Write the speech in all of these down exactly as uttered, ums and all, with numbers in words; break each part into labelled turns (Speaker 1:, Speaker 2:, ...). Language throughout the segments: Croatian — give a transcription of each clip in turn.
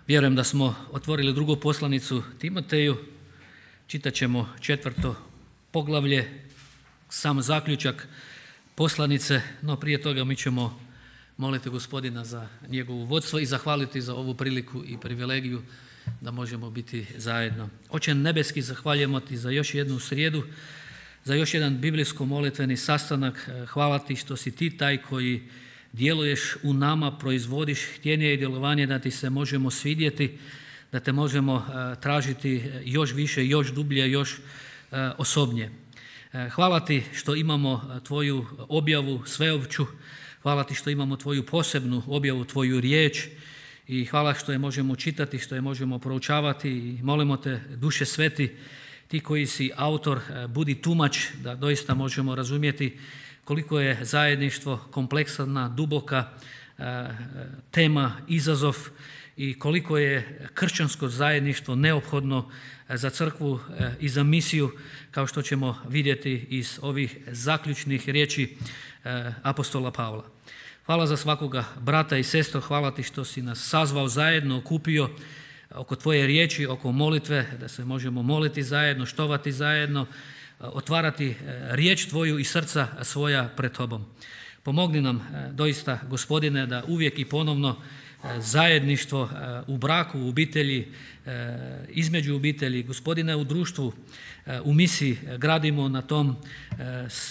Speaker 1: Vjerujem da smo otvorili drugu poslanicu Timoteju, čitat ćemo četvrto poglavlje, sam zaključak poslanice, no prije toga mi ćemo moliti Gospodina za njegovo vodstvo i zahvaliti za ovu priliku i privilegiju da možemo biti zajedno. Oče nebeski, zahvaljujemo ti za još jednu srijedu, za još jedan biblijsko-molitveni sastanak. Hvala ti što si ti taj koji djeluješ u nama, proizvodiš htjenje i djelovanje da ti se možemo svidjeti, da te možemo uh, tražiti još više, još dublje, još uh, osobnije. Uh, hvala ti što imamo tvoju objavu sveopću, hvala ti što imamo tvoju posebnu objavu, tvoju riječ i hvala što je možemo čitati, što je možemo proučavati i molimo te, Duše Sveti, ti koji si autor, uh, budi tumač da doista možemo razumjeti koliko je zajedništvo kompleksna, duboka e, tema, izazov i koliko je kršćansko zajedništvo neophodno za crkvu e, i za misiju, kao što ćemo vidjeti iz ovih zaključnih riječi e, apostola Pavla. Hvala za svakoga brata i sestro, hvala ti što si nas sazvao zajedno, okupio oko tvoje riječi, oko molitve, da se možemo moliti zajedno, štovati zajedno, otvarati riječ tvoju i srca svoja pred tobom. Pomogni nam doista, Gospodine, da uvijek i ponovno zajedništvo u braku, u obitelji, između obitelji, Gospodine, u društvu, u misiji gradimo na tom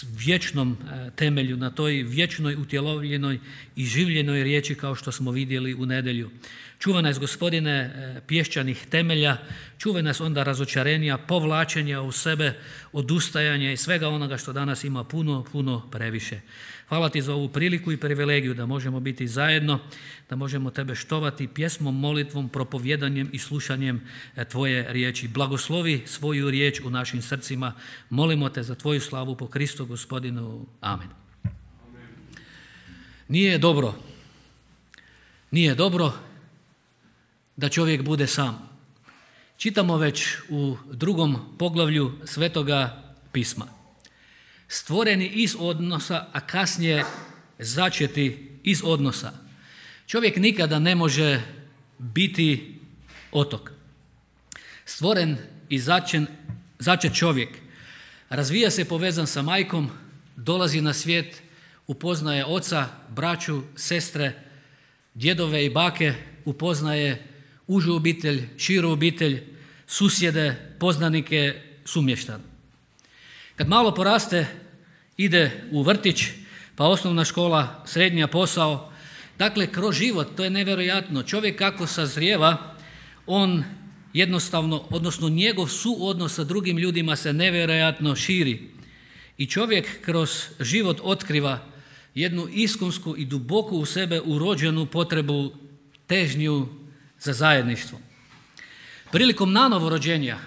Speaker 1: vječnom temelju, na toj vječnoj, utjelovljenoj i življenoj riječi kao što smo vidjeli u nedjelju. Čuva nas, Gospodine, pješčanih temelja, čuva nas onda razočarenja, povlačenja u sebe, odustajanja i svega onoga što danas ima puno, puno previše. Hvala ti za ovu priliku i privilegiju da možemo biti zajedno, da možemo tebe štovati pjesmom, molitvom, propovjedanjem i slušanjem tvoje riječi. Blagoslovi svoju riječ u našim srcima. Molimo te za tvoju slavu po Kristu Gospodinu. Amen. Amen. Nije dobro, nije dobro da čovjek bude sam. Čitamo već u drugom poglavlju Svetoga pisma. Stvoreni iz odnosa, a kasnije začeti iz odnosa. Čovjek nikada ne može biti otok. Stvoren i začen, začet čovjek razvija se povezan sa majkom, dolazi na svijet, upoznaje oca, braću, sestre, djedove i bake, upoznaje užu obitelj, širu obitelj, susjede, poznanike, sumještan. Kad malo poraste, ide u vrtić, pa osnovna škola, srednja, posao. Dakle, kroz život, to je nevjerojatno. Čovjek kako sazrijeva, on jednostavno, odnosno njegov suodnos sa drugim ljudima se nevjerojatno širi. I čovjek kroz život otkriva jednu iskonsku i duboko u sebe urođenu potrebu, težnju za zajedništvo. Prilikom nanovorođenja,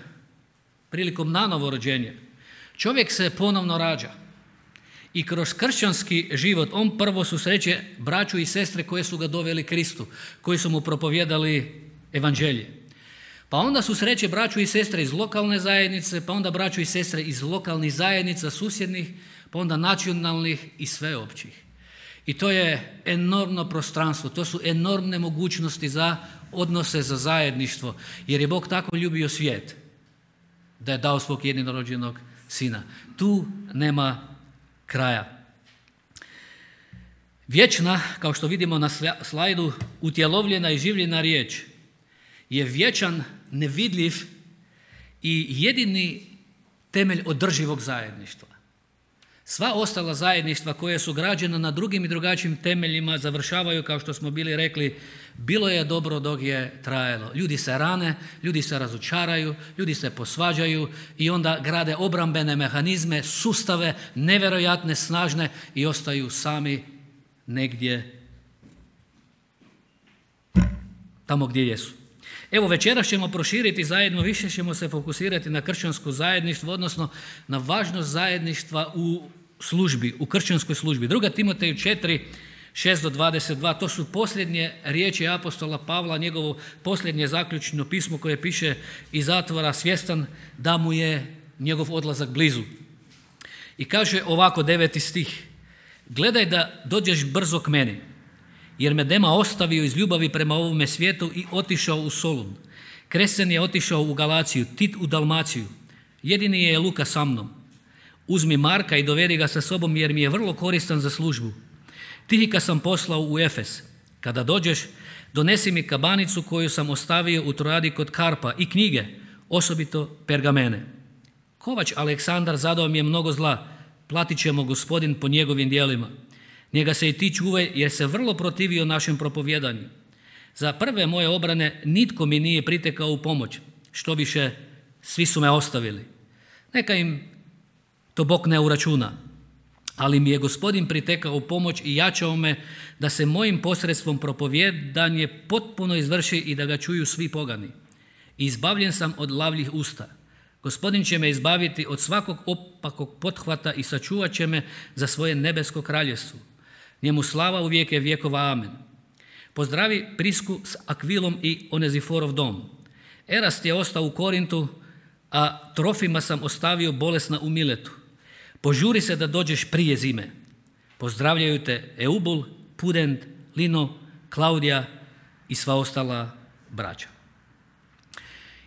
Speaker 1: prilikom nanovorođenja, čovjek se ponovno rađa i kroz kršćanski život on prvo susreće braću i sestre koje su ga doveli Kristu, koji su mu propovjedali evanđelje. Pa onda susreće braću i sestre iz lokalne zajednice, pa onda braću i sestre iz lokalnih zajednica, susjednih, pa onda nacionalnih i sveopćih. I to je enormno prostranstvo, to su enormne mogućnosti za odnose, za zajedništvo, jer je Bog tako ljubio svijet da je dao svog jedinorođenog sina. Tu nema kraja. Vječna, kao što vidimo na slajdu, utjelovljena i življena riječ je vječan, nevidljiv i jedini temelj održivog zajedništva. Sva ostala zajedništva koje su građena na drugim i drugačijim temeljima završavaju, kao što smo bili rekli, bilo je dobro dok je trajalo. Ljudi se rane, ljudi se razočaraju, ljudi se posvađaju i onda grade obrambene mehanizme, sustave, nevjerojatne, snažne i ostaju sami negdje tamo gdje jesu. Evo, večeras ćemo proširiti zajedno, više ćemo se fokusirati na kršćansko zajedništvo, odnosno na važnost zajedništva u službi, u kršćanskoj službi. Druga Timoteju četiri, šest do dvadeset dva, to su posljednje riječi apostola Pavla, njegovo posljednje zaključno pismo koje piše iz zatvora, svjestan da mu je njegov odlazak blizu. I kaže ovako, deveti stih: gledaj da dođeš brzo k meni jer me Dema ostavio iz ljubavi prema ovome svijetu i otišao u Solun. Kresen je otišao u Galaciju, Tit u Dalmaciju. Jedini je Luka sa mnom. Uzmi Marka i dovedi ga sa sobom jer mi je vrlo koristan za službu. Tihika sam poslao u Efes. Kada dođeš, donesi mi kabanicu koju sam ostavio u Trojadi kod Karpa i knjige, osobito pergamene. Kovač Aleksandar zadao mi je mnogo zla, platit će mu Gospodin po njegovim djelima. Njega se i ti čuvaj jer se vrlo protivio našem propovjedanju. Za prve moje obrane nitko mi nije pritekao u pomoć, što više svi su me ostavili. Neka im to Bog ne uračuna, ali mi je Gospodin pritekao u pomoć i jačao me da se mojim posredstvom propovjedanje potpuno izvrši i da ga čuju svi pogani. I izbavljen sam od lavljih usta. Gospodin će me izbaviti od svakog opakog pothvata i sačuvat će me za svoje nebesko kraljevstvo. Njemu slava u vijeke vjekova. Amen. Pozdravi Prisku s Akvilom i Oneziforov dom. Erast je ostao u Korintu, a Trofima sam ostavio bolesna u Miletu. Požuri se da dođeš prije zime. Pozdravljaju te Eubul, Pudent, Lino, Klaudija i sva ostala braća.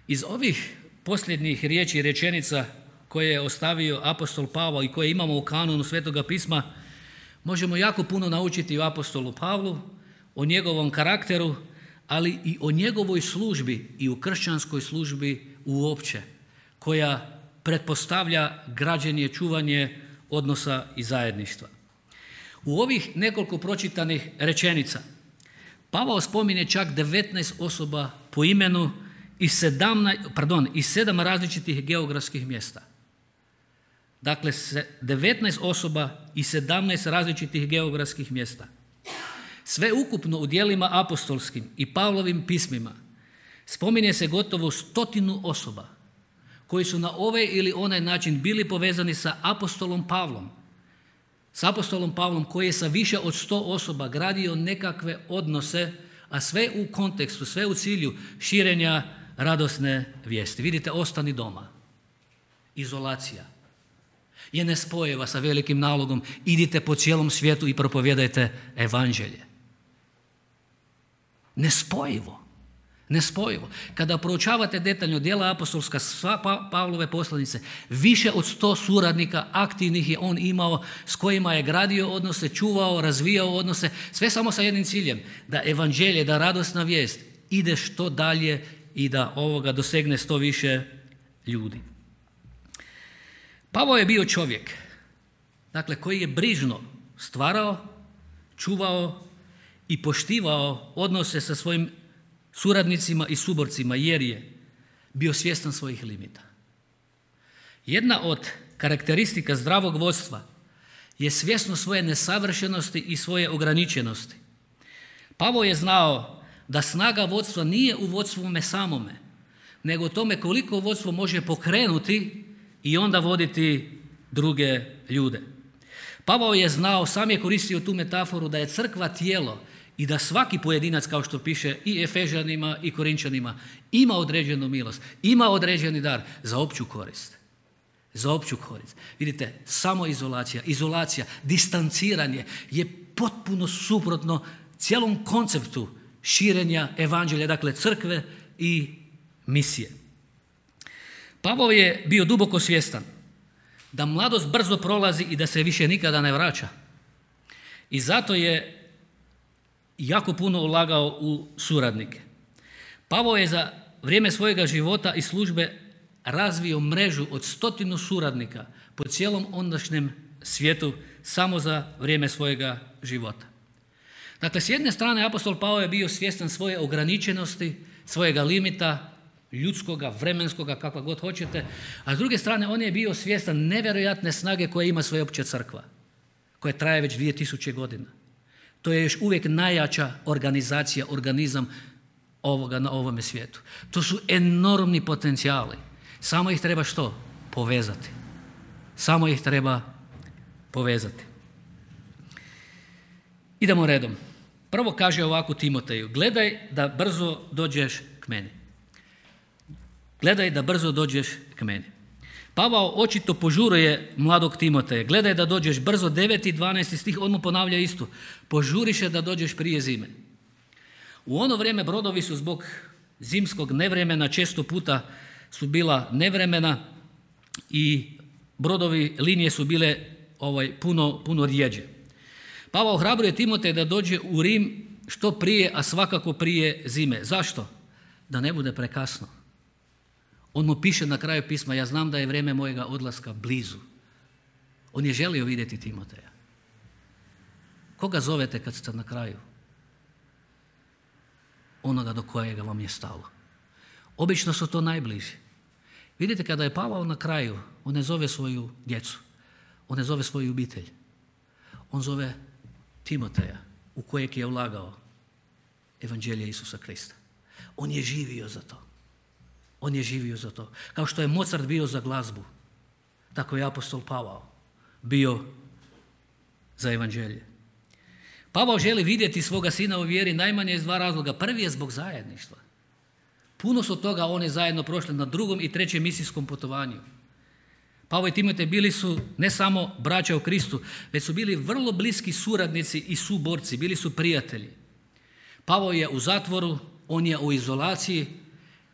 Speaker 1: Iz ovih posljednjih riječi i rečenica koje je ostavio apostol Pavao i koje imamo u kanonu Svetoga pisma, možemo jako puno naučiti o apostolu Pavlu, o njegovom karakteru, ali i o njegovoj službi i u kršćanskoj službi uopće, koja pretpostavlja građenje, čuvanje odnosa i zajedništva. U ovih nekoliko pročitanih rečenica Pavao spominje čak devetnaest osoba po imenu i sedamnaest, pardon, i sedam različitih geografskih mjesta. Dakle, devetnaest osoba i sedamnaest različitih geografskih mjesta. Sve ukupno u djelima apostolskim i Pavlovim pismima spominje se gotovo stotinu osoba koji su na ovaj ili onaj način bili povezani sa apostolom Pavlom. S apostolom Pavlom koji je sa više od sto osoba gradio nekakve odnose, a sve u kontekstu, sve u cilju širenja radosne vijesti. Vidite, ostani doma. Izolacija je nespojiva sa velikim nalogom. Idite po cijelom svijetu i propovjedajte evanđelje. Nespojivo. Nespojivo. Kada proučavate detaljno djela apostolska, sva pa, Pavlove poslanice, više od sto suradnika aktivnih je on imao s kojima je gradio odnose, čuvao, razvijao odnose, sve samo sa jednim ciljem, da evanđelje, da radosna vijest ide što dalje i da ovoga dosegne što više ljudi. Pavao je bio čovjek, dakle, koji je brižno stvarao, čuvao i poštivao odnose sa svojim suradnicima i suborcima jer je bio svjestan svojih limita. Jedna od karakteristika zdravog vodstva je svjesnost svoje nesavršenosti i svoje ograničenosti. Pavao je znao da snaga vodstva nije u vodstvu samome, nego u tome koliko vodstvo može pokrenuti i onda voditi druge ljude. Pavao je znao, sam je koristio tu metaforu da je crkva tijelo i da svaki pojedinac, kao što piše i Efežanima i Korinčanima, ima određenu milost, ima određeni dar za opću korist. Za opću korist. Vidite, samoizolacija, izolacija, distanciranje je potpuno suprotno cijelom konceptu širenja evanđelja, dakle crkve i misije. Pavao je bio duboko svjestan da mladost brzo prolazi i da se više nikada ne vraća. I zato je jako puno ulagao u suradnike. Pavao je za vrijeme svojega života i službe razvio mrežu od stotinu suradnika po cijelom ondašnjem svijetu samo za vrijeme svojega života. Dakle, s jedne strane apostol Pavao je bio svjestan svoje ograničenosti, svojega limita, ljudskoga, vremenskoga, kakva god hoćete, a s druge strane on je bio svjestan nevjerojatne snage koje ima sveopća crkva, koja traje već dvije tisuće godina. To je još uvijek najjača organizacija, organizam ovoga na ovome svijetu. To su enormni potencijali. Samo ih treba što? Povezati. Samo ih treba povezati. Idemo redom. Prvo kaže ovako Timoteju, gledaj da brzo dođeš k meni. Gledaj da brzo dođeš k meni. Pavao očito požuruje mladog Timoteja. Gledaj da dođeš brzo, deveti i dvanaesti stih, on mu ponavlja isto. Požuriše da dođeš prije zime. U ono vrijeme brodovi su zbog zimskog nevremena, često puta su bila nevremena i brodovi, linije su bile ovaj, puno, puno rijeđe. Pavao ohrabruje Timoteja da dođe u Rim što prije, a svakako prije zime. Zašto? Da ne bude prekasno. On mu piše na kraju pisma, ja znam da je vrijeme mojega odlaska blizu. On je želio vidjeti Timoteja. Koga zovete kad ste na kraju? Onoga do kojega vam je stalo. Obično su to najbliži. Vidite, kada je Pavao na kraju, on ne zove svoju djecu, on ne zove svoju obitelj. On zove Timoteja, u kojeg je ulagao evanđelje Isusa Krista. On je živio za to. On je živio za to. Kao što je Mozart bio za glazbu, tako je apostol Pavao bio za evanđelje. Pavao želi vidjeti svoga sina u vjeri najmanje iz dva razloga. Prvi je zbog zajedništva. Puno su toga oni zajedno prošli na drugom i trećem misijskom putovanju. Pavao i Timotej bili su ne samo braća u Kristu, već su bili vrlo bliski suradnici i suborci, bili su prijatelji. Pavao je u zatvoru, on je u izolaciji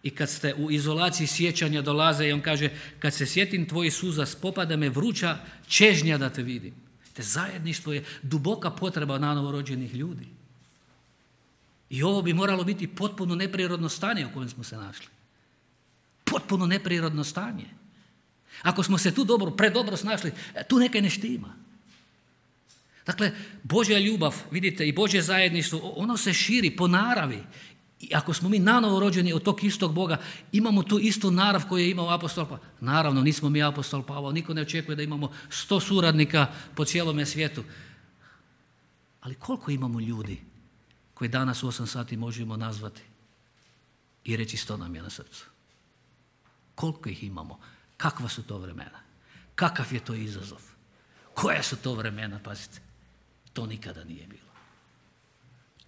Speaker 1: i kad ste u izolaciji sjećanja dolaze i on kaže, kad se sjetim tvojih suza, spopada me vruća čežnja da te vidim. Te zajedništvo je duboka potreba na novorođenih ljudi. I ovo bi moralo biti potpuno neprirodno stanje u kojem smo se našli. Potpuno neprirodno stanje. Ako smo se tu dobro, predobro snašli, tu nekaj ne štima. Dakle, Božja ljubav, vidite, i Božje zajedništvo, ono se širi po naravi. I ako smo mi nanovo rođeni od tog istog Boga, imamo tu istu narav koju je imao apostol Pavao. Naravno, nismo mi apostol Pavao, niko ne očekuje da imamo sto suradnika po cijelome svijetu. Ali koliko imamo ljudi koji danas u osam sati možemo nazvati i reći sto nam je na srcu? Koliko ih imamo? Kakva su to vremena? Kakav je to izazov? Koja su to vremena, pazite? To nikada nije bilo.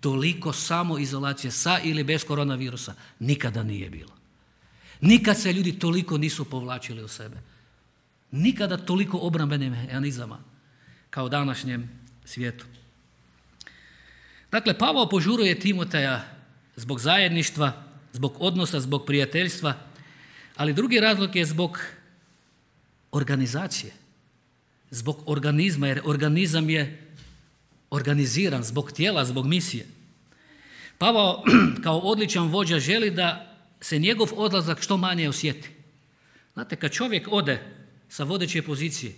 Speaker 1: Toliko samoizolacije sa ili bez koronavirusa nikada nije bilo. Nikad se ljudi toliko nisu povlačili u sebe. Nikada toliko obrambenih mehanizama kao u današnjem svijetu. Dakle, Pavao požuruje Timoteja zbog zajedništva, zbog odnosa, zbog prijateljstva, ali drugi razlog je zbog organizacije, zbog organizma, jer organizam je organiziran zbog tijela, zbog misije. Pavao kao odličan vođa želi da se njegov odlazak što manje osjeti. Znate, kad čovjek ode sa vodeće pozicije,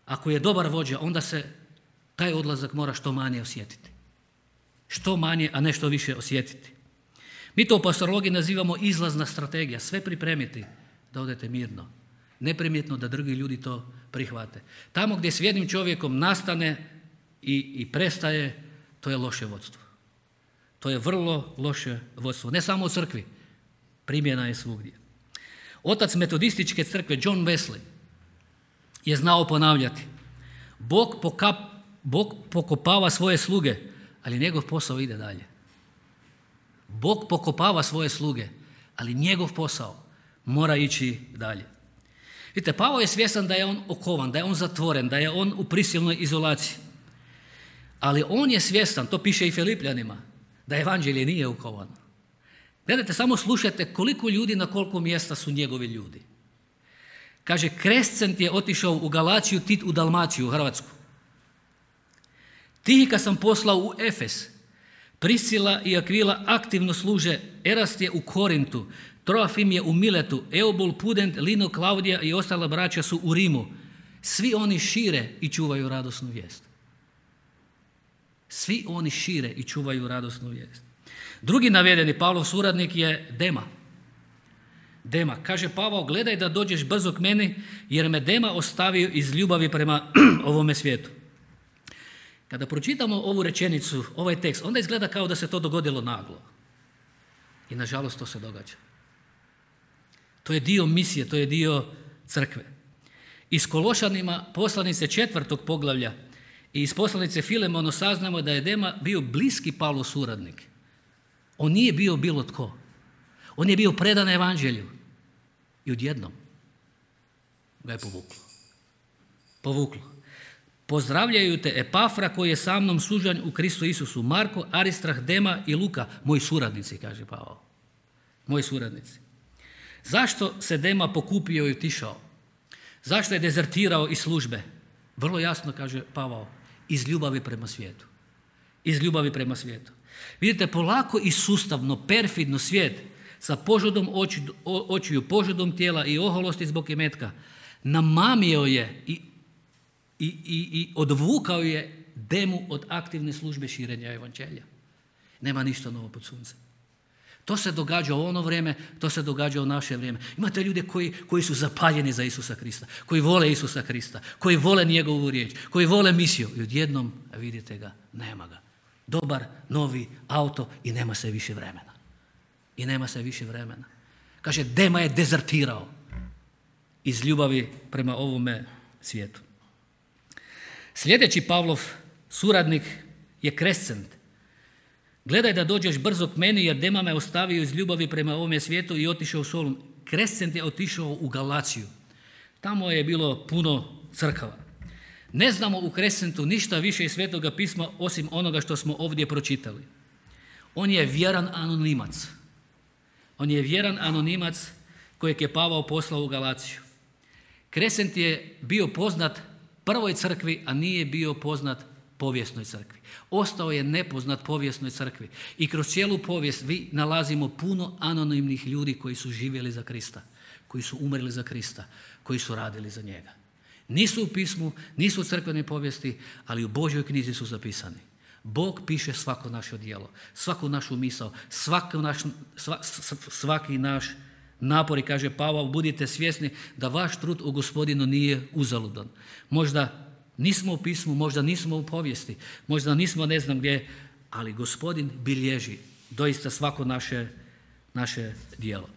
Speaker 1: ako je dobar vođa, onda se taj odlazak mora što manje osjetiti. Što manje, a ne što više osjetiti. Mi to u pastorologiji nazivamo izlazna strategija. Sve pripremiti da odete mirno. Neprimjetno da drugi ljudi to prihvate. Tamo gdje s jednim čovjekom nastane i, i prestaje, to je loše vodstvo. To je vrlo loše vodstvo. Ne samo u crkvi, primjena je svugdje. Otac metodističke crkve John Wesley je znao ponavljati: Bog, pokap, Bog pokopava svoje sluge, ali njegov posao ide dalje. Bog pokopava svoje sluge, ali njegov posao mora ići dalje. Vidite, Pavao je svjestan da je on okovan, da je on zatvoren, da je on u prisilnoj izolaciji. Ali on je svjestan, to piše i Filipljanima, da evanđelje nije okovano. Gledajte, samo slušajte koliko ljudi na koliko mjesta su njegovi ljudi. Kaže, Krescent je otišao u Galaciju, Tit u Dalmaciju, u Hrvatsku. Tihika sam poslao u Efes. Priscila i Akvila aktivno služe, Erast je u Korintu, Troafim je u Miletu, Eubul, Pudent, Lino, Klaudija i ostala braća su u Rimu. Svi oni šire i čuvaju radosnu vijest. Svi oni šire i čuvaju radosnu vijest. Drugi navedeni Pavlov suradnik je Dema. Dema. Kaže Pavao, gledaj da dođeš brzo k meni, jer me Dema ostavio iz ljubavi prema ovome svijetu. Kada pročitamo ovu rečenicu, ovaj tekst, onda izgleda kao da se to dogodilo naglo. I nažalost to se događa. To je dio misije, to je dio crkve. Iz Kološanima poslanice četvrtog poglavlja i iz poslanice Filemonu saznamo da je Dema bio bliski Pavlov suradnik. On nije bio bilo tko. On je bio predan evanđelju. I odjednom. ga je povuklo. Povuklo. Pozdravljaju te Epafra koji je sa mnom služan u Kristu Isusu, Marko, Aristrah, Dema i Luka, moji suradnici, kaže Pavao. Moji suradnici. Zašto se Dema pokupio i otišao? Zašto je dezertirao iz službe? Vrlo jasno kaže Pavao, iz ljubavi prema svijetu. Iz ljubavi prema svijetu. Vidite, polako i sustavno, perfidno svijet sa požudom oči, očiju, požudom tijela i oholosti zbog imetka namamio je i, i, i, i odvukao je Demu od aktivne službe širenja evanđelja. Nema ništa novo pod suncem. To se događa u ono vrijeme, to se događa u naše vrijeme. Imate ljude koji, koji su zapaljeni za Isusa Krista, koji vole Isusa Krista, koji vole njegovu riječ, koji vole misiju i odjednom, vidite ga, nema ga. Dobar, novi auto i nema se više vremena. I nema se više vremena. Kaže, Dema je dezertirao iz ljubavi prema ovome svijetu. Sljedeći Pavlov suradnik je Krescent. Gledaj da dođeš brzo k meni jer Dema me ostavio iz ljubavi prema ovome svijetu i otišao u Solun. Krescent je otišao u Galaciju. Tamo je bilo puno crkava. Ne znamo u Krescentu ništa više iz Svetoga pisma osim onoga što smo ovdje pročitali. On je vjeran anonimac. On je vjeran anonimac kojeg je Pavao poslao u Galaciju. Krescent je bio poznat prvoj crkvi, a nije bio poznat povijesnoj crkvi. Ostao je nepoznat povijesnoj crkvi. I kroz cijelu povijest vi nalazimo puno anonimnih ljudi koji su živjeli za Krista, koji su umrli za Krista, koji su radili za njega. Nisu u pismu, nisu u crkvenoj povijesti, ali u Božjoj knjizi su zapisani. Bog piše svako naše djelo, svaku našu misao, svaki naš, sva, svaki naš napor i kaže Pavao, budite svjesni da vaš trud u Gospodinu nije uzaludan. Možda nismo u pismu, možda nismo u povijesti, možda nismo ne znam gdje, ali Gospodin bilježi doista svako naše, naše djelo.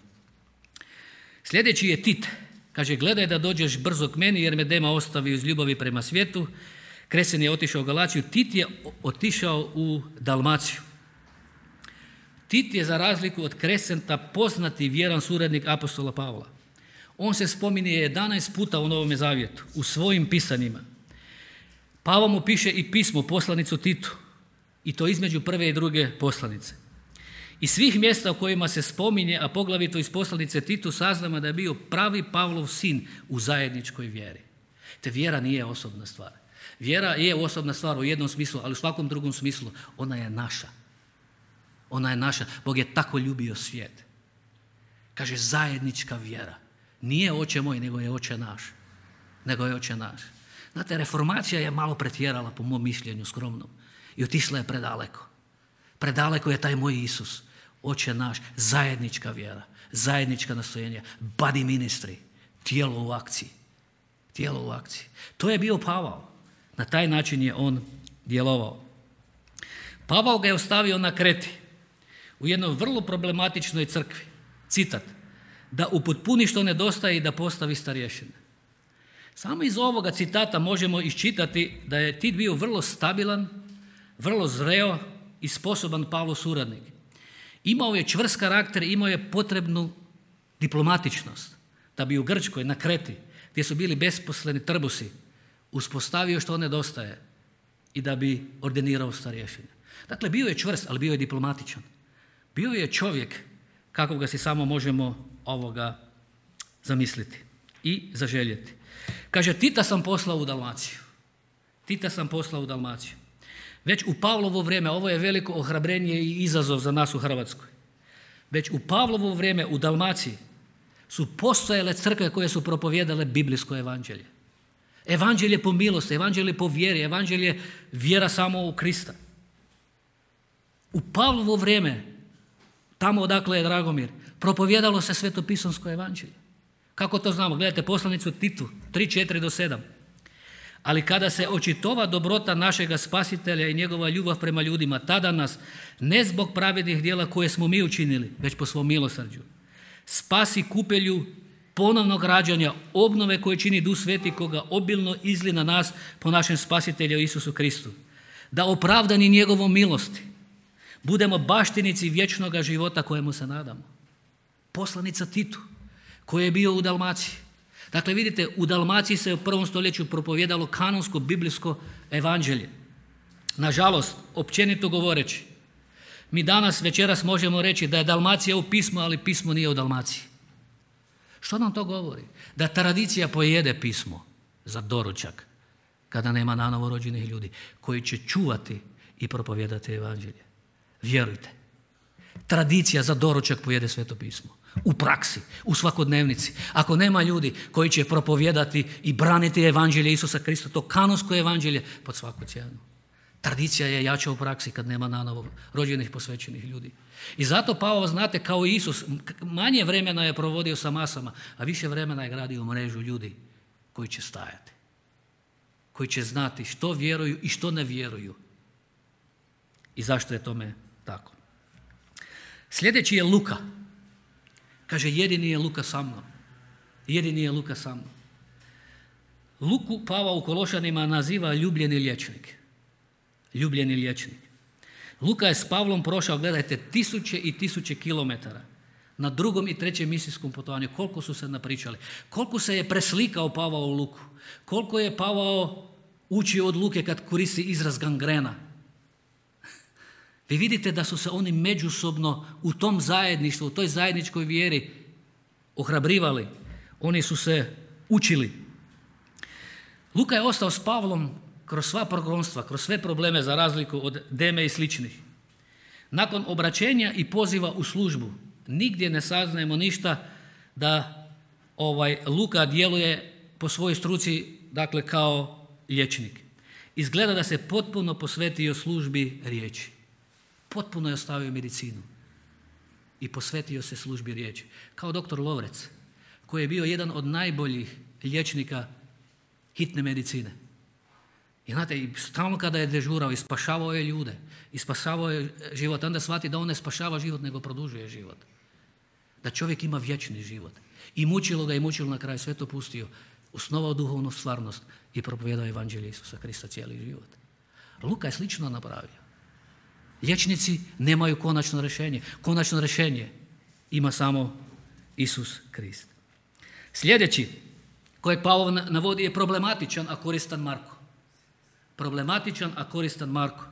Speaker 1: Sljedeći je Tit. Kaže, gledaj da dođeš brzo k meni jer me Dema ostavio iz ljubavi prema svijetu. Krescent je otišao u Galaciju. Tit je otišao u Dalmaciju. Tit je za razliku od Krescenta poznati vjeran suradnik apostola Pavla. On se spominje jedanaest puta u Novome zavjetu, u svojim pisanjima. Pavao mu piše i pismo, poslanicu Titu. I to između prve i druge poslanice. Iz svih mjesta u kojima se spominje, a poglavito iz poslanice Titu, saznamo da je bio pravi Pavlov sin u zajedničkoj vjeri. Te vjera nije osobna stvar. Vjera je osobna stvar u jednom smislu, ali u svakom drugom smislu ona je naša. Ona je naša. Bog je tako ljubio svijet. Kaže zajednička vjera. Nije oče moj, nego je oče naš. Nego je oče naš. Znate, reformacija je malo pretjerala po mom mišljenju skromnom i otišla je predaleko. Predaleko je taj moj Isus, oče naš, zajednička vjera, zajednička nastojenja, body ministry, tijelo u akciji. Tijelo u akciji. To je bio Pavao. Na taj način je on djelovao. Pavao ga je ostavio na Kreti u jednoj vrlo problematičnoj crkvi. Citat, da upotpuni što nedostaje i da postavi starješine. Samo iz ovoga citata možemo iščitati da je Tit bio vrlo stabilan, vrlo zreo i sposoban Pavlov suradnik. Imao je čvrst karakter, imao je potrebnu diplomatičnost da bi u Grčkoj, na Kreti, gdje su bili besposleni trbusi, uspostavio što nedostaje i da bi ordinirao starješine. Dakle, bio je čvrst, ali bio je diplomatičan. Bio je čovjek kako ga si samo možemo ovoga zamisliti i zaželjeti. Kaže, Tita sam poslao u Dalmaciju. Tita sam poslao u Dalmaciju. Već u Pavlovo vrijeme, ovo je veliko ohrabrenje i izazov za nas u Hrvatskoj. Već u Pavlovo vrijeme u Dalmaciji su postojale crkve koje su propovijedale biblijsko evanđelje. Evanđelje po milosti, evanđelje po vjeri, evanđelje vjera samo u Krista. U Pavlovo vrijeme, tamo odakle je Dragomir, propovijedalo se svetopisonsko evanđelje. Kako to znamo? Gledajte poslanicu Titu tri četiri do sedam. Ali kada se očitova dobrota našega Spasitelja i njegova ljubav prema ljudima, tada nas, ne zbog pravednih djela koje smo mi učinili, već po svom milosrđu, spasi kupelju ponovnog rađanja, obnove koje čini Duh Sveti koga obilno izli na nas po našem Spasitelju Isusu Kristu. Da opravdani njegovom milosti budemo baštinici vječnoga života kojemu se nadamo. Poslanica Titu, koji je bio u Dalmaciji. Dakle, vidite, u Dalmaciji se u prvom stoljeću propovijedalo kanonsko biblijsko evanđelje. Nažalost, općenito govoreći, mi danas večeras možemo reći da je Dalmacija u pismu, ali pismo nije u Dalmaciji. Što nam to govori? Da tradicija pojede pismo za doručak kada nema nanovo rođenih ljudi koji će čuvati i propovijedati evanđelje. Vjerujte, tradicija za doručak pojede Sveto pismo. U praksi, u svakodnevnici. Ako nema ljudi koji će propovijedati i braniti evanđelje Isusa Krista, to kanonsko evanđelje, pod svaku cijenu. Tradicija je jača u praksi kad nema nanovo rođenih posvećenih ljudi. I zato Pavao, znate, kao i Isus, manje vremena je provodio sa masama, a više vremena je gradio mrežu ljudi koji će stajati. Koji će znati što vjeruju i što ne vjeruju. I zašto je tome tako. Sljedeći je Luka. Kaže, jedini je Luka sa mnom. Jedini je Luka sa mnom. Luku Pavao u Kološanima naziva ljubljeni liječnik. Ljubljeni liječnik. Luka je s Pavlom prošao, gledajte, tisuće i tisuće kilometara na drugom i trećem misijskom putovanju. Koliko su se napričali. Koliko se je preslikao Pavao u Luku. Koliko je Pavao učio od Luke kad koristi izraz gangrena. Vi vidite da su se oni međusobno u tom zajedništvu, u toj zajedničkoj vjeri ohrabrivali. Oni su se učili. Luka je ostao s Pavlom kroz sva progonstva, kroz sve probleme za razliku od Deme i sličnih. Nakon obraćenja i poziva u službu, nigdje ne saznajemo ništa da ovaj Luka djeluje po svojoj struci, dakle kao liječnik. Izgleda da se potpuno posvetio službi riječi. Potpuno je ostavio medicinu i posvetio se službi riječi. Kao doktor Lovrec, koji je bio jedan od najboljih liječnika hitne medicine. I znate, stalno kada je dežurao i spašavao je ljude, i spašavao je život, onda shvati da on ne spašava život, nego produžuje život. Da čovjek ima vječni život. I mučilo ga i mučilo na kraju, sve to pustio, osnovao duhovnu stvarnost i propovijedao evanđelje Isusa Krista cijeli život. Luka je slično napravio. Liječnici nemaju konačno rješenje. Konačno rješenje ima samo Isus Krist. Sljedeći, kojeg Pavao navodi, je problematičan, a koristan Marko. Problematičan, a koristan Marko.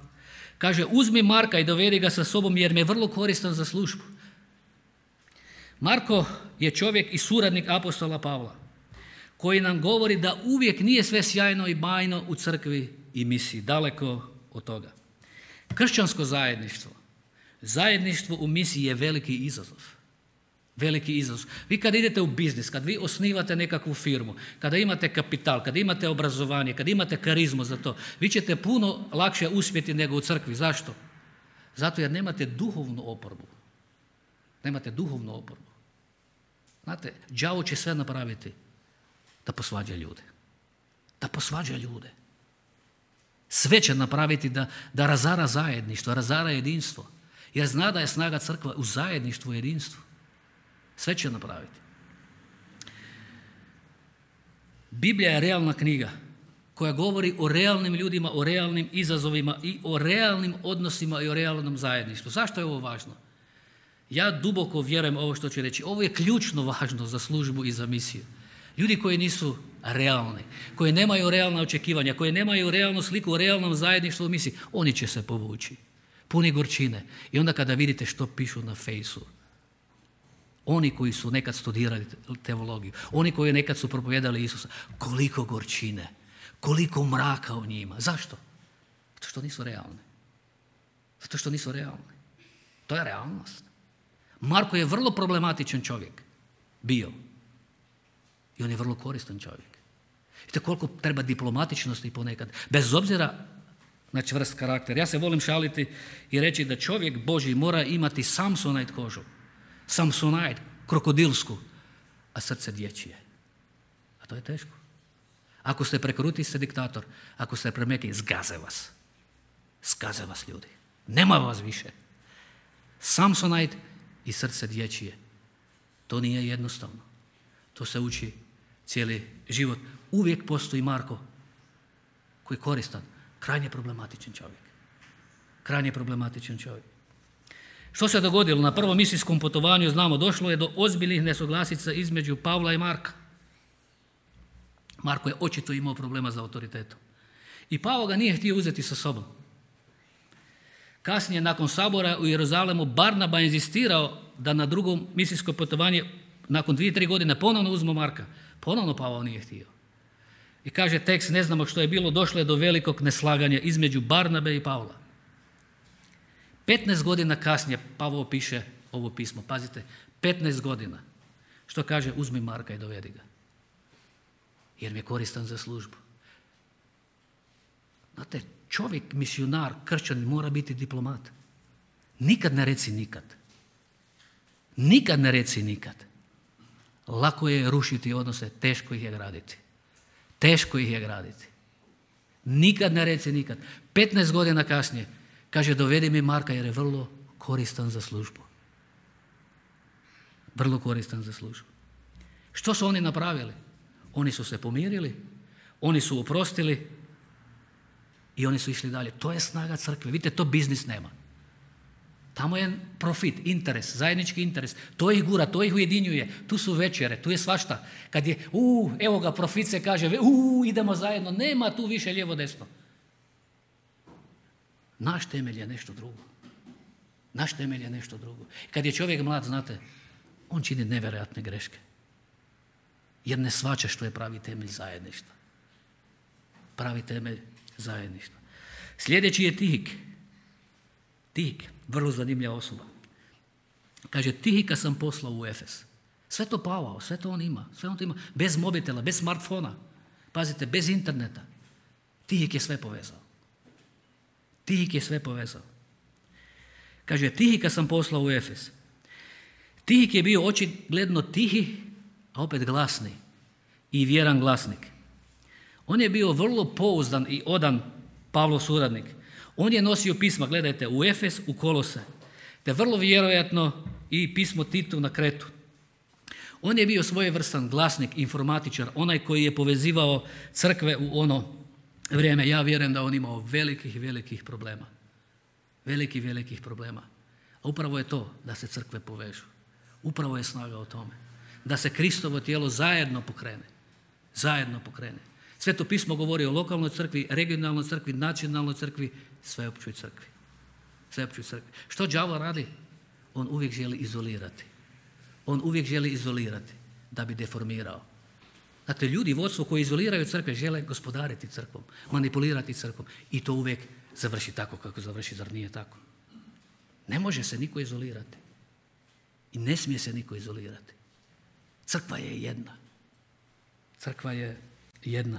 Speaker 1: Kaže, uzmi Marka i dovedi ga sa sobom jer mi je vrlo koristan za službu. Marko je čovjek i suradnik apostola Pavla, koji nam govori da uvijek nije sve sjajno i bajno u crkvi i misiji. Daleko od toga. Kršćansko zajedništvo, zajedništvo u misiji je veliki izazov. Veliki izazov. Vi kad idete u biznis, kad vi osnivate nekakvu firmu, kada imate kapital, kada imate obrazovanje, kada imate karizmu za to, vi ćete puno lakše uspjeti nego u crkvi. Zašto? Zato jer nemate duhovnu oporbu. Nemate duhovnu oporbu. Znate, đavo će sve napraviti da posvađa ljude. Da posvađa ljude. Sve će napraviti da, da razara zajedništvo, razara jedinstvo. Jer zna da je snaga crkva u zajedništvu i jedinstvu. Sve će napraviti. Biblija je realna knjiga koja govori o realnim ljudima, o realnim izazovima i o realnim odnosima i o realnom zajedništvu. Zašto je ovo važno? Ja duboko vjerujem ovo što ću reći. Ovo je ključno važno za službu i za misiju. Ljudi koji nisu realni, koji nemaju realna očekivanja, koji nemaju realnu sliku o realnom zajedništvu u misiji, oni će se povući. Puni gorčine. I onda kada vidite što pišu na fejsu, oni koji su nekad studirali teologiju, oni koji nekad su propovijedali Isusa, koliko gorčine, koliko mraka u njima. Zašto? Zato što nisu realni. Zato što nisu realni. To je realnost. Marko je vrlo problematičan čovjek. Bio. I on je vrlo koristan čovjek. Vidite koliko treba diplomatičnosti ponekad. Bez obzira na čvrst karakter. Ja se volim šaliti i reći da čovjek Božji mora imati Samsonite kožu. Samsonite, krokodilsku, a srce dječje. A to je teško. Ako ste prekruti, ste diktator. Ako ste premeki, zgaze vas. Zgaze vas ljudi. Nema vas više. Samsonite i srce dječje. To nije jednostavno. To se uči cijeli život. Uvijek postoji Marko koji je koristan. Krajnje problematičan čovjek. Krajnje problematičan čovjek. Što se dogodilo? Na prvom misijskom putovanju, znamo, došlo je do ozbiljnih nesuglasica između Pavla i Marka. Marko je očito imao problema za autoritetom. I Pavao ga nije htio uzeti sa sobom. Kasnije, nakon sabora u Jeruzalemu, Barnaba je inzistirao da na drugom misijsko putovanje, nakon dvije, tri godine, ponovno uzmu Marka. Ponovno Pavao nije htio. I kaže tekst, ne znamo što je bilo, došlo je do velikog neslaganja između Barnabe i Pavla. petnaest godina kasnije Pavao piše ovo pismo. Pazite, petnaest godina. Što kaže? Uzmi Marka i dovedi ga. Jer mi je koristan za službu. Znate, čovjek, misionar, kršćanin mora biti diplomat. Nikad ne reci nikad. Nikad ne reci nikad. Lako je rušiti odnose, teško ih je graditi. Teško ih je graditi. Nikad ne reci nikad. petnaest godina kasnije kaže dovedi mi Marka jer je vrlo koristan za službu. Vrlo koristan za službu. Što su oni napravili? Oni su se pomirili, oni su oprostili i oni su išli dalje. To je snaga crkve. Vidite, to biznis nema. Tamo je profit, interes, zajednički interes. To ih gura, to ih ujedinjuje. Tu su večere, tu je svašta. Kad je, u, evo ga, profit se kaže, u, idemo zajedno. Nema tu više lijevo desno. Naš temelj je nešto drugo. Naš temelj je nešto drugo. Kad je čovjek mlad, znate, on čini nevjerojatne greške. Jer ne shvaća što je pravi temelj zajedništva. Pravi temelj zajedništva. Sljedeći je Tihik. Tihik, vrlo zanimljiva osoba. Kaže, Tihika sam poslao u Efes. Sve to Pavao, sve to on ima. Sve on to ima. Bez mobitela, bez smartfona. Pazite, bez interneta. Tihik je sve povezao. Tihik je sve povezao. Kaže, Tihika sam poslao u Efes. Tihik je bio očigledno tihi, a opet glasni i vjeran glasnik. On je bio vrlo pouzdan i odan Pavlov suradnik. On je nosio pisma, gledajte, u Efes, u Kolose, te vrlo vjerojatno i pismo Titu na Kretu. On je bio svojevrstan glasnik, informatičar, onaj koji je povezivao crkve u ono vrijeme. Ja vjerujem da on imao velikih, velikih problema. Velikih, velikih problema. A upravo je to da se crkve povežu. Upravo je snaga o tome. Da se Kristovo tijelo zajedno pokrene. Zajedno pokrene. Sveto pismo govori o lokalnoj crkvi, regionalnoj crkvi, nacionalnoj crkvi, sveopćoj crkvi. Sveopćoj crkvi. Što đavo radi? On uvijek želi izolirati. On uvijek želi izolirati da bi deformirao. Znate, ljudi, vodstvo koji izoliraju crkve žele gospodariti crkvom, manipulirati crkvom i to uvijek završi tako kako završi, zar nije tako? Ne može se niko izolirati. I ne smije se niko izolirati. Crkva je jedna. Crkva je jedna.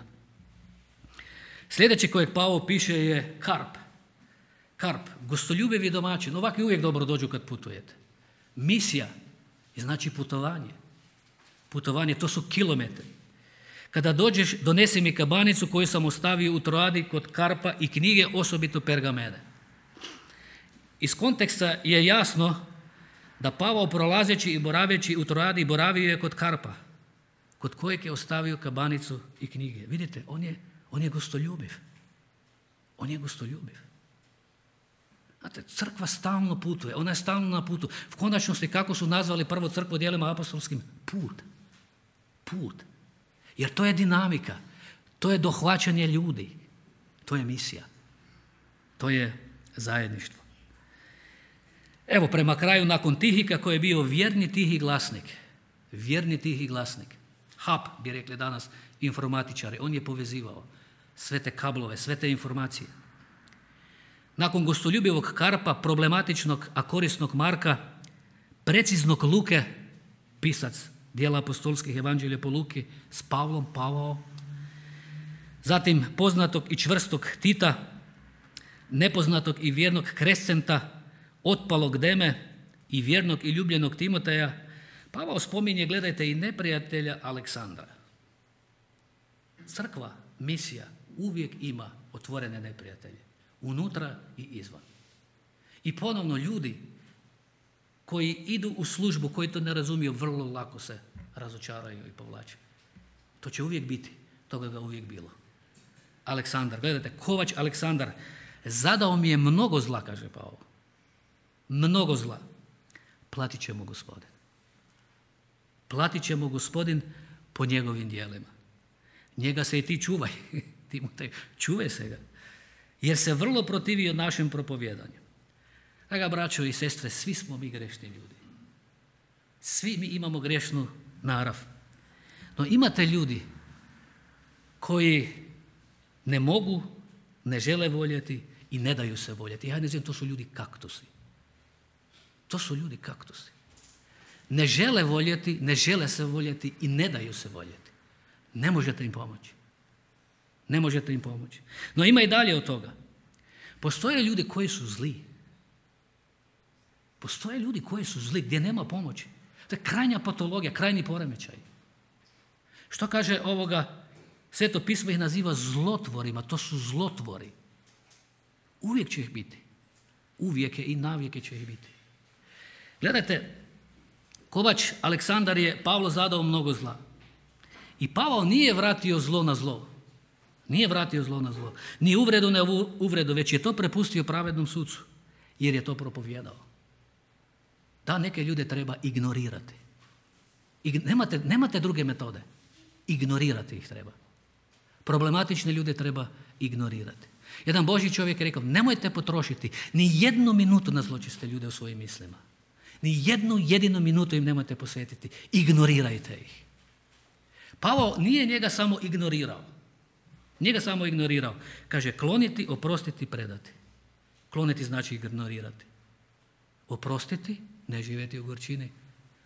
Speaker 1: Sljedeći kojeg Pavao piše je Karp. Karp, gostoljubivi domaćin, ovakvi uvijek dobro dođu kad putujete. Misija je znači putovanje. Putovanje, to su kilometri. Kada dođeš, donesi mi kabanicu koju sam ostavio u Troadi kod Karpa i knjige, osobito pergamene. Iz konteksta je jasno da Pavao prolazeći i boraveći u Troadi boravio je kod Karpa, kod kojeg je ostavio kabanicu i knjige. Vidite, on je, on je gostoljubiv. On je gostoljubiv. Znate, crkva stalno putuje, ona je stalno na putu. V konačnosti, kako su nazvali prvo crkvu djelima apostolskim? Put. Put. Jer to je dinamika, to je dohvaćanje ljudi, to je misija, to je zajedništvo. Evo, prema kraju, nakon Tihika koji je bio vjerni tihi glasnik, vjerni tihi glasnik, hub bi rekli danas informatičari, on je povezivao sve te kablove, sve te informacije. Nakon gostoljubivog Karpa, problematičnog, a korisnog Marka, preciznog Luke, pisac dijela apostolskih evanđelja po Luki, s Pavlom, Pavao, zatim poznatog i čvrstog Tita, nepoznatog i vjernog Krescenta, otpalog Deme i vjernog i ljubljenog Timoteja, Pavao spominje, gledajte, i neprijatelja Aleksandra. Crkva, misija, uvijek ima otvorene neprijatelje, unutra i izvan. I ponovno ljudi koji idu u službu, koji to ne razumiju, vrlo lako se razočaraju i povlače. To će uvijek biti, toga ga uvijek bilo. Aleksandar, gledajte, Kovač Aleksandar, zadao mi je mnogo zla, kaže Pavao. Mnogo zla. Platit će mu Gospodin. Platit će mu Gospodin po njegovim djelima. Njega se i ti čuvaj. Timotej, čuvaj se ga. Jer se vrlo protivio našem propovjedanju. Draga braćo i sestre, svi smo mi grešni ljudi. Svi mi imamo grešnu narav. No imate ljudi koji ne mogu, ne žele voljeti i ne daju se voljeti. Ja ne znam, to su ljudi kaktusi. To su ljudi kaktusi. Ne žele voljeti, ne žele se voljeti i ne daju se voljeti. Ne možete im pomoći. Ne možete im pomoći. No ima i dalje od toga. Postoje ljudi koji su zli. Postoje ljudi koji su zli, gdje nema pomoći. To je krajnja patologija, krajni poremećaj. Što kaže ovoga? Sveto pismo ih naziva zlotvorima, to su zlotvori. Uvijek će ih biti. Uvijek je i navijeke će ih biti. Gledajte, Kovač Aleksandar je Pavlo zadao mnogo zla. I Pavao nije vratio zlo na zlo. Nije vratio zlo na zlo. Ni uvredu na uvredu, već je to prepustio pravednom sucu. Jer je to propovjedao. Da, neke ljude treba ignorirati. Ig- nemate, nemate druge metode. Ignorirati ih treba. Problematične ljude treba ignorirati. Jedan Božji čovjek je rekao, nemojte potrošiti ni jednu minutu na zločiste ljude u svojim mislima. Ni jednu jedinu minutu im nemojte posvetiti. Ignorirajte ih. Pavao nije njega samo ignorirao. Nije ga samo ignorirao. Kaže, kloniti, oprostiti, predati. Kloniti znači ignorirati. Oprostiti, ne živjeti u gorčini.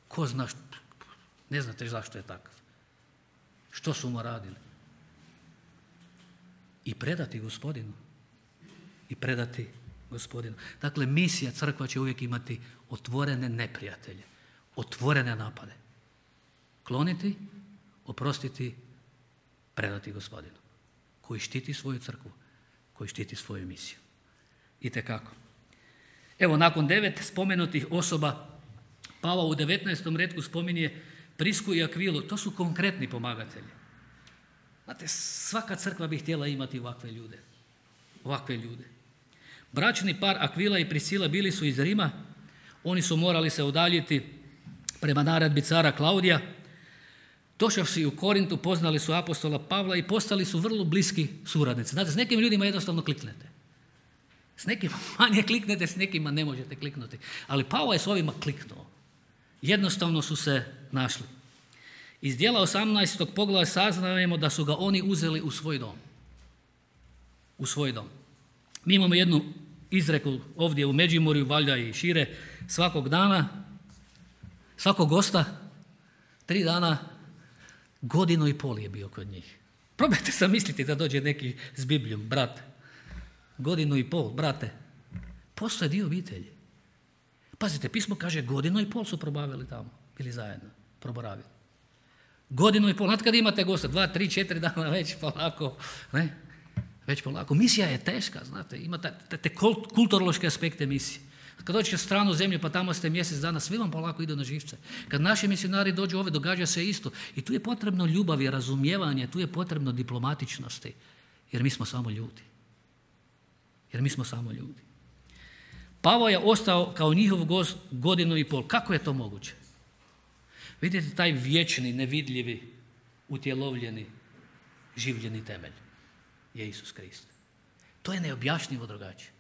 Speaker 1: Ko zna, što, ne znate zašto je takav. Što su mu radili. I predati Gospodinu. I predati Gospodinu. Dakle, misija crkva će uvijek imati otvorene neprijatelje. Otvorene napade. Kloniti, oprostiti, predati Gospodinu. Koji štiti svoju crkvu. Koji štiti svoju misiju. Itekako. Evo, nakon devet spomenutih osoba, Pavao u devetnaestom retku spominje Prisku i Akvilu. To su konkretni pomagatelji. Znate, svaka crkva bi htjela imati ovakve ljude. Ovakve ljude. Bračni par Akvila i Priscila bili su iz Rima. Oni su morali se udaljiti prema naredbi cara Klaudija. Došavši u Korintu, poznali su apostola Pavla i postali su vrlo bliski suradnici. Znate, s nekim ljudima jednostavno kliknete. S nekima manje kliknete, s nekima ne možete kliknuti. Ali Pavao je s ovima kliknuo. Jednostavno su se našli. Iz djela osamnaestog poglavlja saznajemo da su ga oni uzeli u svoj dom. U svoj dom. Mi imamo jednu izreku ovdje u Međimurju, valjda i šire, svakog dana, svakog gosta, tri dana, godinu i pol je bio kod njih. Probajte zamisliti da dođe neki s Biblijom, brat. Godinu i pol, brate. Postoje dio obitelji. Pazite, pismo kaže godinu i pol su probavili tamo, bili zajedno, proboravili. Godinu i pol, znate kad imate gosta, dva, tri, četiri dana već polako, ne? Već polako. Misija je teška, znate, ima te, te kulturološke aspekte misije. Kad dođete u stranu zemlju pa tamo ste mjesec dana, svi vam polako idu na živce. Kad naši misionari dođu ove, događa se isto. I tu je potrebno ljubav i razumijevanje, tu je potrebno diplomatičnosti, jer mi smo samo ljudi. Jer mi smo samo ljudi. Pavao je ostao kao njihov gost godinu i pol. Kako je to moguće? Vidite taj vječni, nevidljivi, utjelovljeni, življeni temelj je Isus Krist. To je neobjašnjivo drugačije.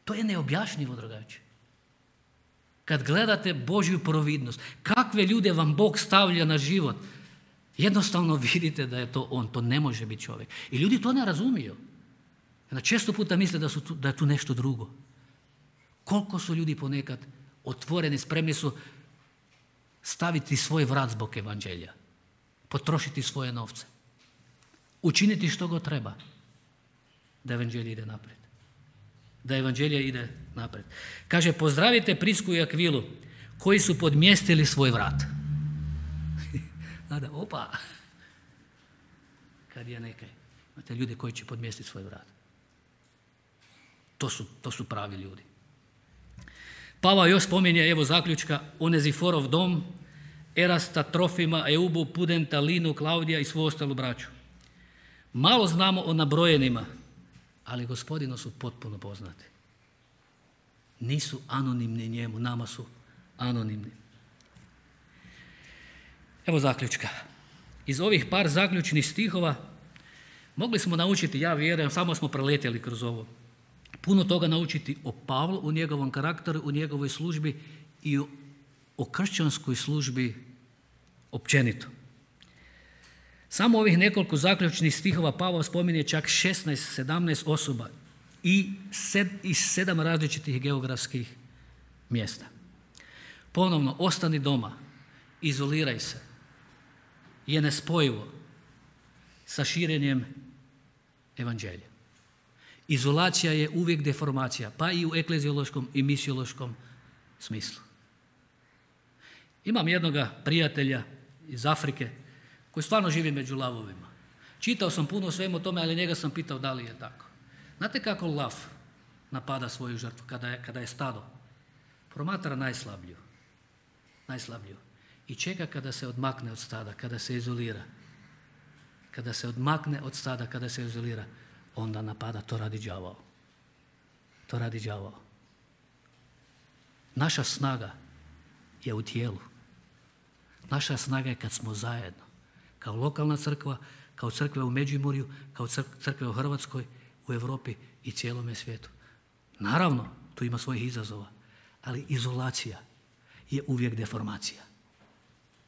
Speaker 1: To je neobjašnjivo drugačije. Kad gledate Božju providnost, kakve ljude vam Bog stavlja na život, jednostavno vidite da je to On, to ne može biti čovjek. I ljudi to ne razumiju. Često puta misle da, su tu, da je tu nešto drugo. Koliko su ljudi ponekad otvoreni, spremni su staviti svoj vrat zbog evanđelja, potrošiti svoje novce, učiniti što god treba da evanđelje ide naprijed. Da evanđelje ide naprijed. Kaže, pozdravite Prisku i Akvilu koji su podmjestili svoj vrat. Nada, opa, kad je nekaj. Imate ljude koji će podmjestiti svoj vrat. To su, to su pravi ljudi. Pavao još spominje, evo zaključka, Oneziforov dom, Erasta, Trofima, Eubu, Pudenta, Linu, Klaudija i svu ostalu braću. Malo znamo o nabrojenima, ali Gospodinu su potpuno poznati. Nisu anonimni njemu, nama su anonimni. Evo zaključka. iz ovih par zaključnih stihova mogli smo naučiti, ja vjerujem, samo smo preletjeli kroz ovo, puno toga naučiti o Pavlu, u njegovom karakteru, u njegovoj službi i o, o kršćanskoj službi općenito. Samo ovih nekoliko zaključnih stihova Pavao spominje čak šesnaest sedamnaest osoba i sed, iz sedam različitih geografskih mjesta. Ponovno, ostani doma, izoliraj se, je nespojivo sa širenjem evanđelja. Izolacija je uvijek deformacija, pa i u ekleziološkom i misiološkom smislu. Imam jednoga prijatelja iz Afrike koji stvarno živi među lavovima. Čitao sam puno o svemu tome, ali njega sam pitao da li je tako. Znate kako lav napada svoju žrtvu kada je, kada je stado? Promatra najslabiju. Najslabiju. I čeka kada se odmakne od stada, kada se izolira. Kada se odmakne od stada, kada se izolira, onda napada. To radi đavao. To radi đavao. Naša snaga je u tijelu. Naša snaga je kad smo zajedno. Kao lokalna crkva, kao crkve u Međimurju, kao crkve u Hrvatskoj, u Europi i cijelome svijetu. Naravno, tu ima svojih izazova, ali izolacija je uvijek deformacija.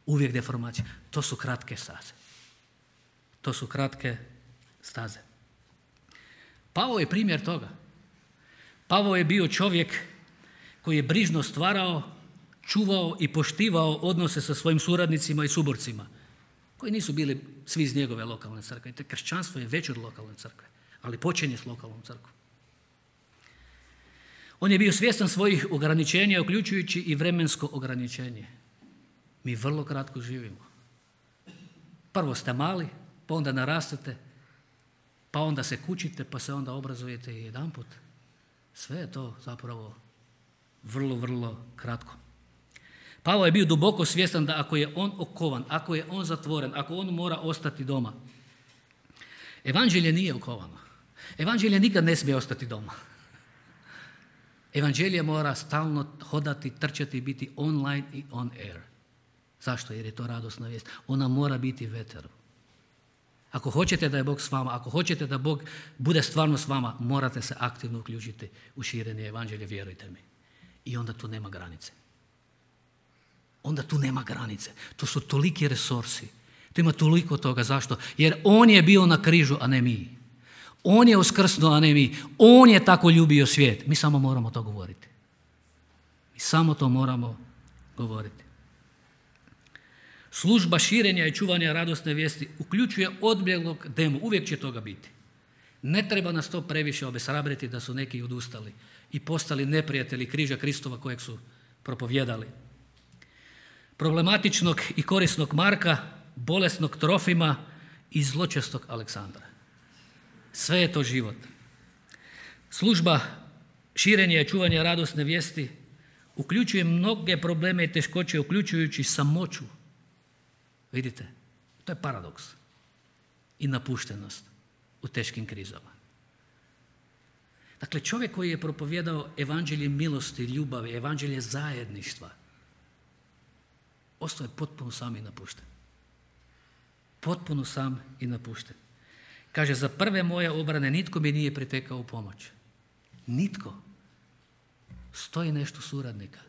Speaker 1: Uvijek deformacija. To su kratke staze. To su kratke staze. Pavao je primjer toga. Pavao je bio čovjek koji je brižno stvarao, čuvao i poštivao odnose sa svojim suradnicima i suborcima, koji nisu bili svi iz njegove lokalne crkve. Te kršćanstvo je veće od lokalne crkve, ali počinje s lokalnom crkvom. On je bio svjestan svojih ograničenja, uključujući i vremensko ograničenje. Mi vrlo kratko živimo. Prvo ste mali, pa onda narastete, pa onda se kućite, pa se onda obrazujete i jedanput. Sve je to zapravo vrlo, vrlo kratko. Pavao je bio duboko svjestan da ako je on okovan, ako je on zatvoren, ako on mora ostati doma, evanđelje nije okovano. Evanđelje nikad ne smije ostati doma. Evanđelje mora stalno hodati, trčati i biti online i on air. Zašto? Jer je to radosna vijest. Ona mora biti veter. Ako hoćete da je Bog s vama, ako hoćete da Bog bude stvarno s vama, morate se aktivno uključiti u širenje evanđelja, vjerujte mi. I onda tu nema granice. Onda tu nema granice. To su toliki resursi. Tu ima toliko toga. Zašto? Jer on je bio na križu, a ne mi. On je uskrsnuo, a ne mi. On je tako ljubio svijet. Mi samo moramo to govoriti. Mi samo to moramo govoriti. Služba širenja i čuvanja radosne vijesti uključuje odbjeglog demu. Uvijek će toga biti. Ne treba nas to previše obeshrabriti da su neki odustali i postali neprijatelji križa Kristova kojeg su propovjedali. Problematičnog i korisnog Marka, bolesnog Trofima i zločestog Aleksandra. Sve je to život. Služba širenja i čuvanja radosne vijesti uključuje mnoge probleme i teškoće, uključujući samoću. Vidite, to je paradoks i napuštenost u teškim krizama. Dakle, čovjek koji je propovjedao evanđelje milosti, ljubavi, evanđelje zajedništva, ostao je potpuno sam i napušten. Potpuno sam i napušten. Kaže, za prve moje obrane nitko mi nije pritekao u pomoć. Nitko. Stoji nešto suradnika.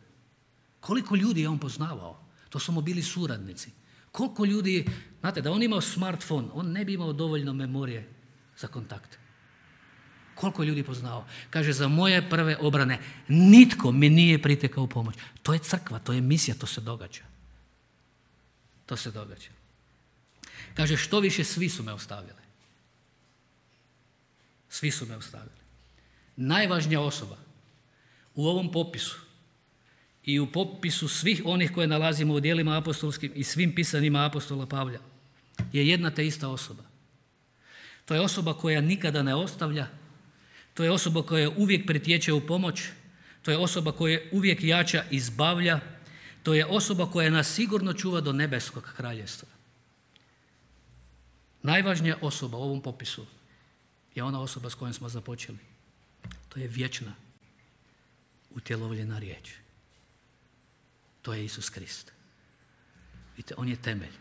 Speaker 1: Koliko ljudi je on poznavao? To su mu bili suradnici. Koliko ljudi, znate, da on imao smartphone, on ne bi imao dovoljno memorije za kontakt. Koliko ljudi poznao? Kaže, za moje prve obrane nitko mi nije pritekao u pomoć. To je crkva, to je misija, to se događa. To se događa. Kaže, što više, svi su me ostavili. Svi su me ostavili. Najvažnija osoba u ovom popisu i u popisu svih onih koje nalazimo u djelima apostolskim i svim pisanjima apostola Pavla je jedna te ista osoba. To je osoba koja nikada ne ostavlja, to je osoba koja uvijek pritječe u pomoć, to je osoba koja uvijek jača i izbavlja, to je osoba koja nas sigurno čuva do nebeskog kraljevstva. Najvažnija osoba u ovom popisu je ona osoba s kojom smo započeli. To je vječna, utjelovljena riječ. To je Isus Krist. Vidite, on je temelj.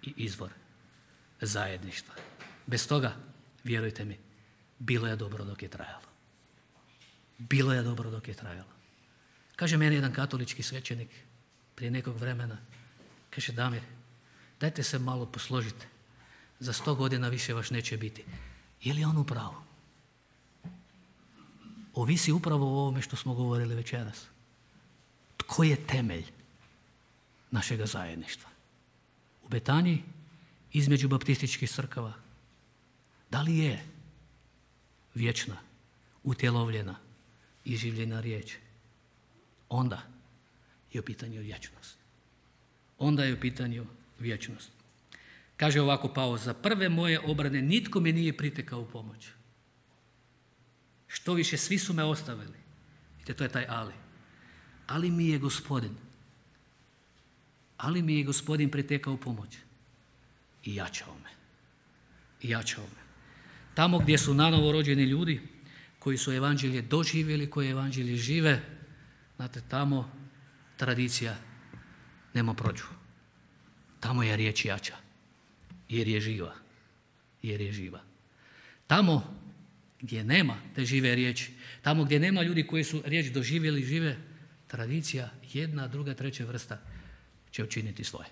Speaker 1: i izvor zajedništva. Bez toga, vjerujte mi, bilo je dobro dok je trajalo. Bilo je dobro dok je trajalo. Kaže meni jedan katolički svećenik prije nekog vremena, kaže Damir, dajte se malo posložite, za sto godina više vas neće biti. Je li on u pravu? Ovisi upravo o ovome što smo govorili večeras. Tko je temelj našega zajedništva? U Betaniji, između baptističkih crkava, da li je vječna, utjelovljena i življena riječ? Onda je u pitanju vječnost. Onda je u pitanju vječnost. Kaže ovako Pavao, za prve moje obrane nitko mi nije pritekao u pomoć. Što više, svi su me ostavili. Vidite, to je taj ali. Ali mi je Gospodin, ali mi je Gospodin pritekao u pomoć. I jačao me. I jačao me. Tamo gdje su nanovo rođeni ljudi, koji su evanđelje doživjeli, koji evanđelje žive, znate, tamo tradicija nema prođu. Tamo je riječ jača, jer je živa. Jer je živa. Tamo gdje nema te žive riječi, tamo gdje nema ljudi koji su riječ doživjeli, žive, tradicija, jedna, druga, treća vrsta će učiniti svoje.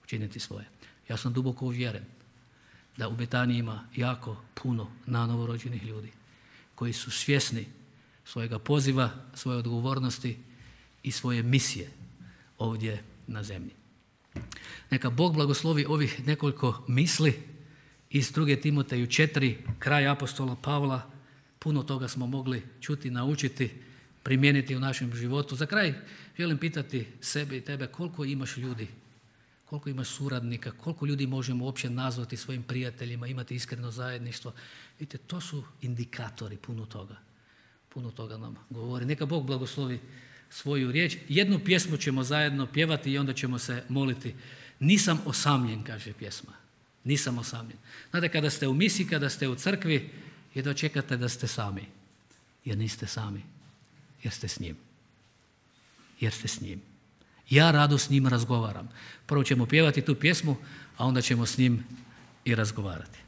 Speaker 1: Učiniti svoje. Ja sam duboko uvjeren da u Betaniji ima jako puno nanovo rođenih ljudi koji su svjesni svojega poziva, svoje odgovornosti i svoje misije ovdje na zemlji. Neka Bog blagoslovi ovih nekoliko misli iz druge Timoteju četiri, kraj apostola Pavla. Puno toga smo mogli čuti, naučiti, primijeniti u našem životu. Za kraj želim pitati sebe i tebe koliko imaš ljudi, koliko imaš suradnika, koliko ljudi možemo uopće nazvati svojim prijateljima, imati iskreno zajedništvo. Vidite, to su indikatori puno toga. Puno toga nam govori. Neka Bog blagoslovi svoju riječ. Jednu pjesmu ćemo zajedno pjevati i onda ćemo se moliti. Nisam osamljen, kaže pjesma. Nisam osamljen. Znate, kada ste u misiji, kada ste u crkvi, jedva čekate da ste sami. Jer niste sami. Jer ste s njim. Jer ste s njim. Ja rado s njim razgovaram. Prvo ćemo pjevati tu pjesmu, a onda ćemo s njim i razgovarati.